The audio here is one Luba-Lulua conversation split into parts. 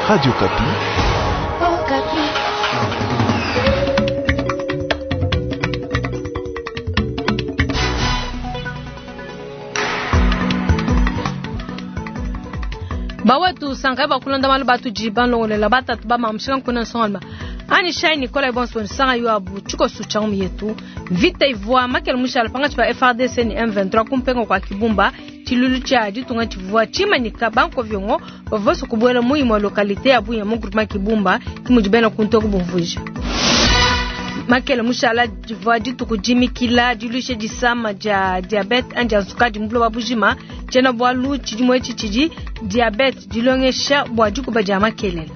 Radio Okapi. Bawetu sankai bakulonda malu batudi balongolela batatu bamamushika nkuna nsongalma ani shai Nicolas bonso nsanga yo abu tshikosu tsha ngumi yetu mvita ivua makele mushala pangatshi pa FARDC ni M23 kumpenga kwa Kibumba tshilulu tshia ditunga tshivua tshimanyika bankovyongo bavua kubuela mu imue localité ya Bunya mu groupement Kibumba kimudi bena kuntu kubumvuija. Makele mushala divua dituku dimikila diluisha disama dia diabete anji ansukadi mu buloba bujima tshiena bualu tshidimu etshi tshidi diabete dilongesha bua dikuba dia makelele.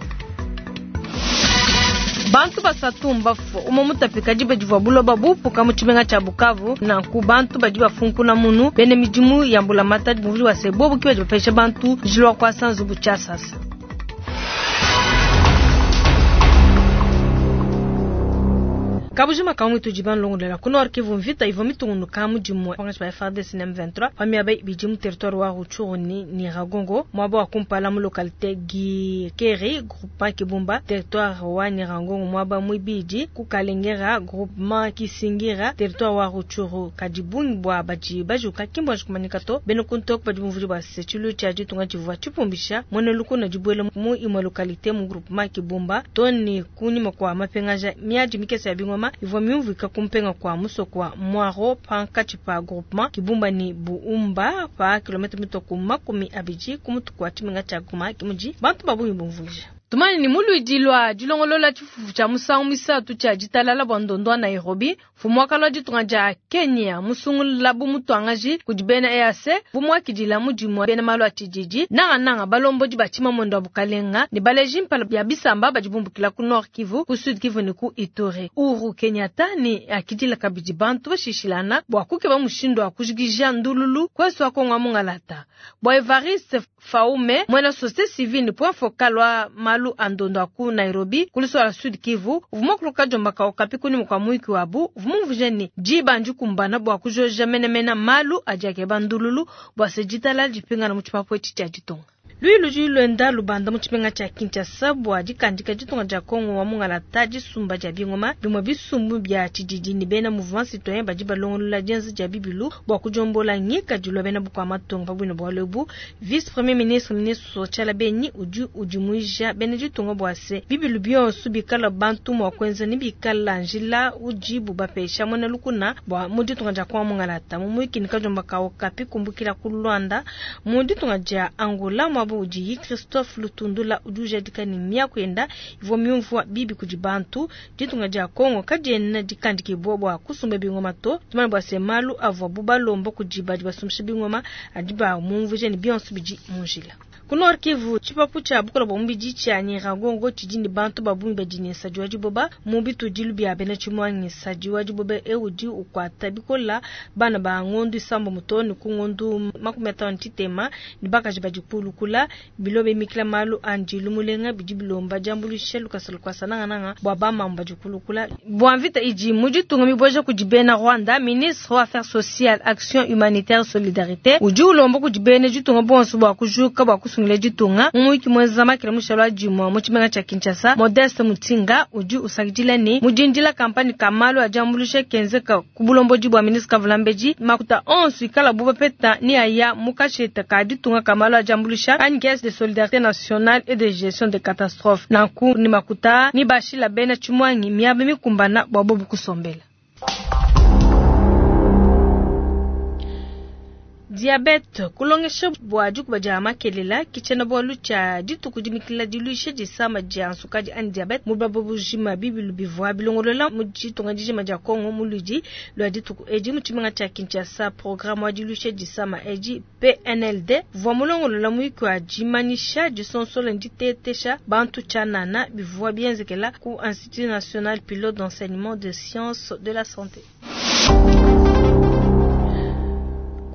Bantu basatu mbafue umue mutapika diba divua buloba bupuka mu tshimenga tshia Bukavu. Nanku bantu badi bafunkuna munu bena midimu ya mbulamatadi muvuli wa se bobu ki badi bapesha bantu njila wa kuasa nzubu tshiasasa. Kabujima kamwe tudi banlongolela ku Nord Kivu mvita ivua mitungunuka mu dimue pangatshi pa FARDC na M23 pa miaba ibidi mu territoire wa Rutshuru ni Nyiragongo muaba wa kumpala mu localité Gikeri groupement Kibumba territoire wa Nyiragongo muaba muibidi ku Kalengera groupement Kisingira territoire wa Rutshuru. Kadi bungi bua badi bajuka ki mbuanji kumanyika to. Bena kuntu badi bumvudi bua se tshilu tshia ditunga tshivua tshipumbisha muena lukuna dibuela mu imue localité mu groupement Kibumba to ne kunyima kua mapengaja miadi mikese ya bingoma ivua miumvuika kumpenga kwa musoko wa Mwaro pankatshi pa groupement Kibumba ni Buumba pa kilomita mitoko 20 ku mutu kwa tshimenga tshia Goma kimudi bantu babungi bumvuija. Tumani ni muluidi lwa dilongolola tshifufu tshia musangu misatu tshia ditalala bua ndondo wa Nairobi mfumu wa kalua ditunga dia Kenya musungula bu mutuangaji kudi bena EAC bumuakidila mudimu bena malu a tshididi nangananga balombodi ba tshimamuendo wa bukalenga ne baleji mpala bia bisamba badi bumbukila ku Nord Kivu ku Sud Kivu ne ku Ituri. Uhuru Kenyatta ne akidila kabidi bantu bashishilana bua kukeba mushindu wa kujikija ndululu kwesu wa Kongo mungalata. Bua Evariste Faume mwena société civile ne point focal wa malu a ndondo a ku Nairobi kuliso la Sud Kivu uvuma kuluka jomba ka okapi kuni mukwa muiki wabu uvuma ni diba ndikumbana bua kujoja menemena malu adi akeba ndululu bua se ditalala dipingana mu tshipapu etshi tshia ditunga. Lui ludi luenda lubanda mu tshimenga tshia Kinshasa bua dikandika ditunga dia Kongo wa mungalata disumba dia bingoma bimue bisumbu bia tshididi ne bena mouvement citoyen badi balongolola dienza dia bibilu bua kujombola ngikadilu bena bukua matunga pa buine bualu ebu. Vice premier ministre ministre Tshiala Beni udi udimuija bena ditunga bua se bibilu bionso bikala bantu mua kuenza ne bikala njila udibu bapesha muena lukuna bua mu ditunga dia Kongo wa mungalata. Mu muikini kajomba ka Okapi kumbukila ku Luanda mu ditunga dia Angola muaba udi Christophe Lutundula udi ujadika ne miaku yenda ivua miumvua bibi kudi bantu. Ditunga dia Kongo kadiena dikandikibua bua kusumba bingoma to. Tumanye bua se malu avua bu balomba kudi badi basumbisha bingoma adi ba mumvuija ne bionso bidi mu njila. Ku Nord Kivu tshipapu tshia bukola bua mubidi tshia Nyiragongo tshidi ne bantu babungi badi ne nsadi wa diboba mu bitudilu bia bena tshimuangi. Nsadi wa diboba eu udi ukuata bikola bana ba ngondu isambo mutoni ku ngondu 53 ne bakaji badi kulukula bilobe mikila malu andi lumulenga bidi bilomba diambuluisha lukasa lukwasa nangananga bua bamambu badi kulukula. Bua mvita idi mu ditunga miboja kudi bena Rwanda, ministre wa Affaires sociales, Action humanitaire, Solidarité udi ulomba kudi bena ditunga bonso bua kujuka bua kusungila ditunga. Mu wiki mwenza makila mushalo wa dimue mu tshimenga tshia Kinshasa, Modeste Mutinga udi usakidila ne mudindila kampani ka malu a diambuluisha kenzeka ku bulombodi bua ministre Kavulambedi makuta onso ikala bu bapeta ni aya mu kasheta ka ditunga ka malu a diambuluisha anyi caisse de solidarité nationale et de gestion de catastrophe. Nanku ni makuta ni bashila bena tshimuangi miaba mikumbana bua bobu kusombela. Diabete kulongesha bua dikuba dia makelela kitshena bualu tshia dituku dimikila diluisha disama dia nsukadi anyi diabete mu buloba bujima bibilu bivua bilongolola mu ditunga dijima dia Kongo mu ludi lua dituku edi mu tshimenga tshia Kinshasa. Programme wa diluisha disama edi PNLD vua mulongolola muiki wa dimanyisha disonsola ditetesha bantu tshianana bivua bienzekela ku Institut National Pilote d'Enseignement de Sciences de la Santé.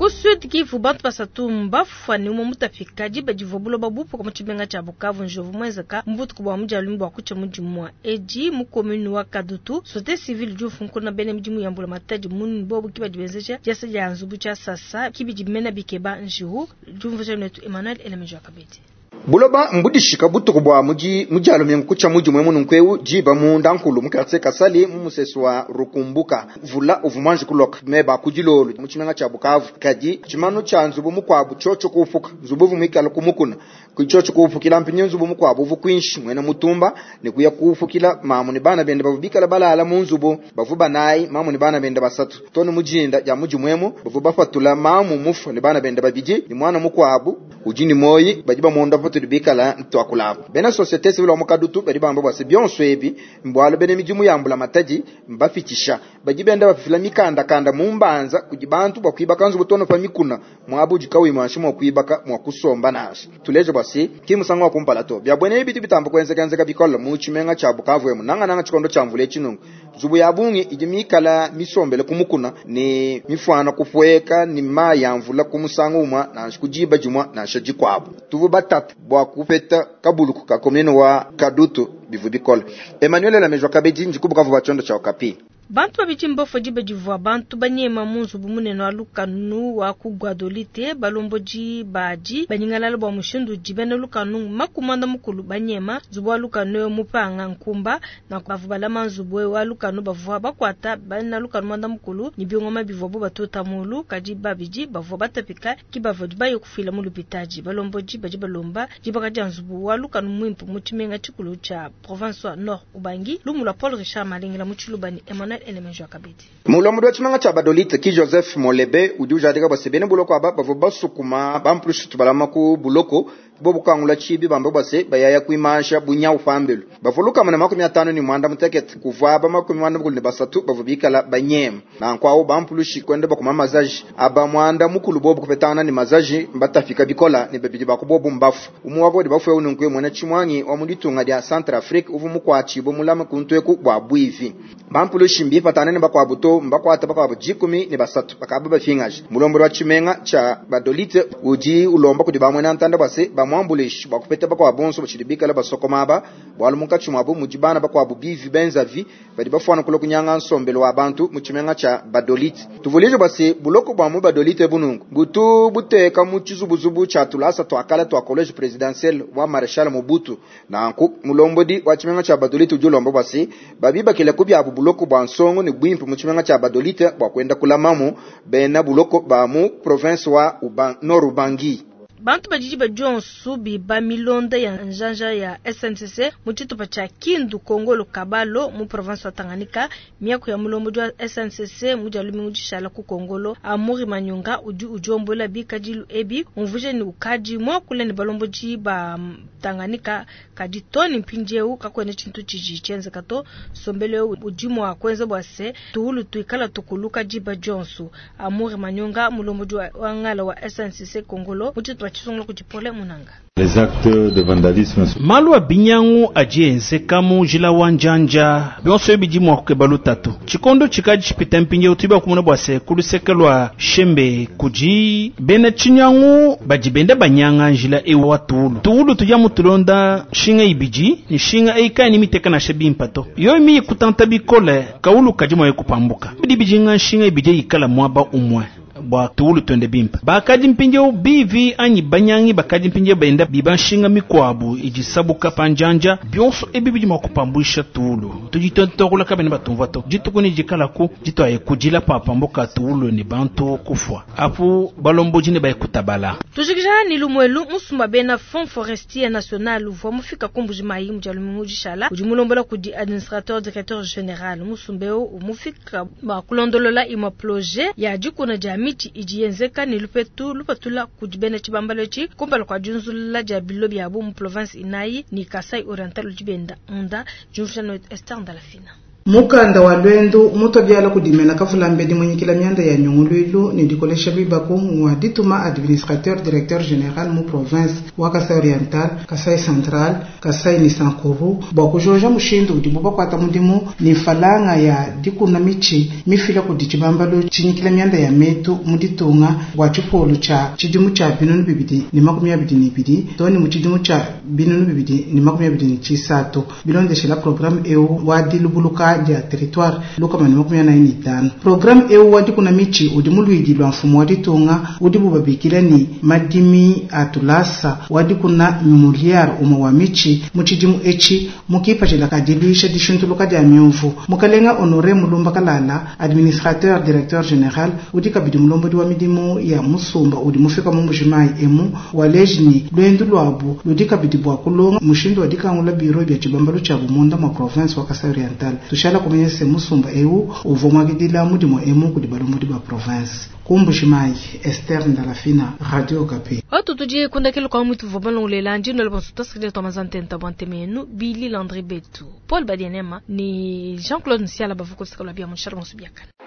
Ku Sud Kivu bantu basatu mbafua ne umue mutapika diba divua buloba bupuka mu tshimenga tshia Bukavu njovu muenzeka mu butuku bua mudialume bua kutshia mudimu edi mu commune wa Kadutu. Société civile udi ufunkuna bena midimu ya mbulamatadi munene bobu ki badi benzeja diasa dia nzubu tshia sasa kibidi bimena bikeba njiwu. Diumvuija netu Emmanuel Elemejo Kabedi. Buloba mbudishika butuku bua mu Dia lumingu kutshia mu Dimue mununku eu diba munda nkulu mu quartier Kasali mu musesu wa Rukumbuka. Mvula uvua muanji kuloka meba a ku dilolo mu tshimenga tshia Bukavu, kadi tshimanu tshia nzubu mukuabu tshiotshio kuupuka. Nzubu uvua muikale ku mukuna, ku tshiotshio kuupukila mpindieu nzubu mukuabu uvua kuinshi. Muena mutumba ne kuya kuupukila mamu ne bana bende bavua bikale balala mu nzubu. Bavua banayi, mamu ne bana bende basatu. Too ne mu dinda dia mu Dimue emu, bavua bapatula mamu mufue ne bana bende babidi ne muana mukuabu udi ne muoyo. Badi bamuondopa patudi bikale tuakula apa. Bena societe civile wa mu Kadutu badi bamba bua se, bionso ebi mbualu bena midimu ya mbulamatadi mbapitshisha. Badi benda bafila mikandakanda mu mbanza kudi bantu bua kuibaka nzubu too ne pa mikuna, muaba udi kauyi muanshi mua kuibaka mua kusomba nansha. Tuleje bua se, ki musangu wa kumpala to. Bia buena ebi bitu bitamba kuenzekenzeka bikole mu tshimenga tshia Bukavu emu, nangananga tshikondo tshia mvula etshi. Nunku nzubu ya bungi idi mikale misombele ku mukuna ne mifuana kupueka ne mayi a mvula ku musangu umue nansha ku diba dimue nansha dikuabu. Tuvua batata bua kupeta kabuluku ka commune wa Kadutu bivua bikole. Emmanuel Lamejwa Kabedi, ndi ku Bukavu bua tshiondo tshia Okapi. Bantu babidi mbafue diba divua bantu banyema mu nzubu munene wa lukanu wa ku Gbadolite. Balombodi badi banyingalala bua mushindu udi bena lukanu 40 banyema nzubu wa lukanu eu mupanga nkumba. Nanku bavua balama nzubu eu wa lukanu bavua bakuata bena lukanu 40 ne bingoma bivuabu batuta mulu, kadi babidi bavua batapika ke bavua baye kufuila mu lupitadi. Balombodi badi balomba dibaka dia nzubu wa lukanu muimpe mu tshimenga tshikulu tshia province wa Nord Ubangi. Lumu lua Paul Richard Malengela mu Tshiluba ne Emmanuel Elemenjo Kabedi. Mulombodi wa tshimenga tshia Badolite ki Joseph Molebe udi ujadika bua se bena buloko aba bavua basukuma ba mplushitu balama ku buloko bobu kukangula tshibi bamba bua se bayaya kuimansha bunyawu pambelu. Bavua 156 kuvua aba 93 bavua bikala banyema. Nanku awu ba mpulushi kuenda bakuma mazaji aba 10 bobu kupetangana ne mazaji mbatapika bikola ne babidi ba ku bobu mbafu. Umue wa ku badi bafue eu nunku muena tshimuangi wa mu ditunga dia Centrafrique uvua mukuatshibue mulame kuntu eku bua buivi. Bampulushi mbipatangane ne bakuabu to, mbakuate bakuabu 13 bakavua bapingaje. Mulombodi wa tshimenga tshia Badolite udi ulomba kudi ba muena ntanda bua se bamuambuluishe bua kupeta bakuabu bonso batshidi bikale basokoma aba, bualu munkatshi muabu mudi bana bakuabu bivi benzavi badi bafuana kulua kunyanga nsombelu wa bantu mu tshimenga tshia Badolite. Tuvuluije bua se buloko bua mu Badolite ebu nunku butu buteka mu tshizubuzubu tshia tulasa tua kale tua College Presidentiel wa Marechal Mobutu. Nanku mulombodi wa tshimenga tshia Badolite udi ulomba bua se babibakile ku biabu buloko bua nsongo ne buimpe mu tshimenga tshia Badolite bua kuenda kulamamu bena buloko ba mu province wa Nord Ubangi. Bantu badi diba dionso biba milonda ya njanja ya SNCC mu tshitupa tshia Kindu Kongolo Kabalo mu province wa Tanganyika. Miaku ya mulombodi wa SNCC mu dia lumingu dishala ku Kongolo, Amuri Manyonga udi udiombola bikadilu ebi, umvuija ne ukadi muakule ne balombodi ba Tanganyika, kadi too ne mpindieu kakuena tshintu tshidi tshienzeka to. Nsombelu eu udi mua kuenza bua se tuwulu tuikala tukuluka diba dionso. Amuri Manyonga, mulombodi wa ngala wa SNCC Kongolo mu tshitupa tshisungula kudi Paulin Munanga. Les actes de vandalisme. Malu a binyangu adi enzeka mu njila wa njanja bionso ebi bidi mua kukeba lutatu. Tshikondo tshikadi tshipita mpindieu tudi bakumona bua se ku luseke lua Shembe kudi bena tshinyangu badi benda banyanga njila eu wa tuwulu. Tuwulu tudi amu tulonda nshinga ibidi, nshinga eyi kayena miteka nansha bimpe to. Yoyi miyi kutanta bikole, kawulu kadi mua kupambuka. Bidi bijinga nshinga ibidi ikala muaba umue bua tuwulu tuende bimpe. Bakadi mpindieu bivi anyi banyangi bakadi mpindieu benda biba nshinga mikuabu idi sabuka pa njanja. Bionso ebi bidi mua kupambuisha tuwulu. Tudi tuakula kabena batumvua to. Dituku ne dikalaku dituaye kudila papambuka tuwulu ne bantu kufua. Apu balombodi ne baye kutabala. Tujikija ni lumuelu musumba bena Fonds Forestier National uvua mufika ku Mbuji-Mayi mu dia lumingu dishala udi mulombola kudi administrateur directeur général musumba eu umufika bua kulondolola imue projet ya dikuna dia mitshi idi yenzeka ne lupetu lupatula kudi bena tshibambalo etshi kumpala kua diunzulula dia bilo biabu mu province inayi ni Kasai Oriental udi benda munda diumvuija no Esther Ndalafina. Mukanda wa lwendu mutu biala kudimena kavulambedi munyikila mianda ya nyunguluilu ne dikolesha bibaku ngwa dituma administrateur directeur général mu province wa Kasai Oriental, Kasai Central, Kasai ni Sankuru bua kujoja mushindu udibu bakuata mudimu ni falanga ya dikuna michi mifila kudi tshibambalu tshinyikila mianda ya metu mu ditunga bua tshipolu tshia tshidimu tshia 2022 to ne mu tshidimu tshia 2023 bilondeshela programme eu wa dilubuluka. ditunga dia territoires 145. Programme eu wa dikuna mitshi udi mu luidi lua mfumu wa ditunga udibu babikila ne madimi a tulasa wa dikuna muliyare umue wa mitshi mu tshidimu etshi mu kipatshila ka diluisha dishintuluka dia miuvu. Mukalenga Honore Mulumba Kalala, administrateur directeur general udi kabidi mulombodi wa midimu ya musumba udi mufika mu Mbujimayi emu, waleji ne luendu luabu ludi kabidi bua kulonga mushindu wa dikangula biro bia tshibambalu tshiabu munda mua province wa Kasai Oriental. Tushala kumanya se musumba eu uvua muakidila mudimu emu kudi balombodi ba province. Ku Mbujimayi, Esther Ndalafina, Radio Okapi. Atu tudi kundakelo kwa mutu vua balongolela ndino bonso tasakidila tua mazantenta bua ntema yenu Billy Landry Betu, Paul Badianema ni Jean-Claude Nsiala bavua kusaka lua bia mu bonso biakana.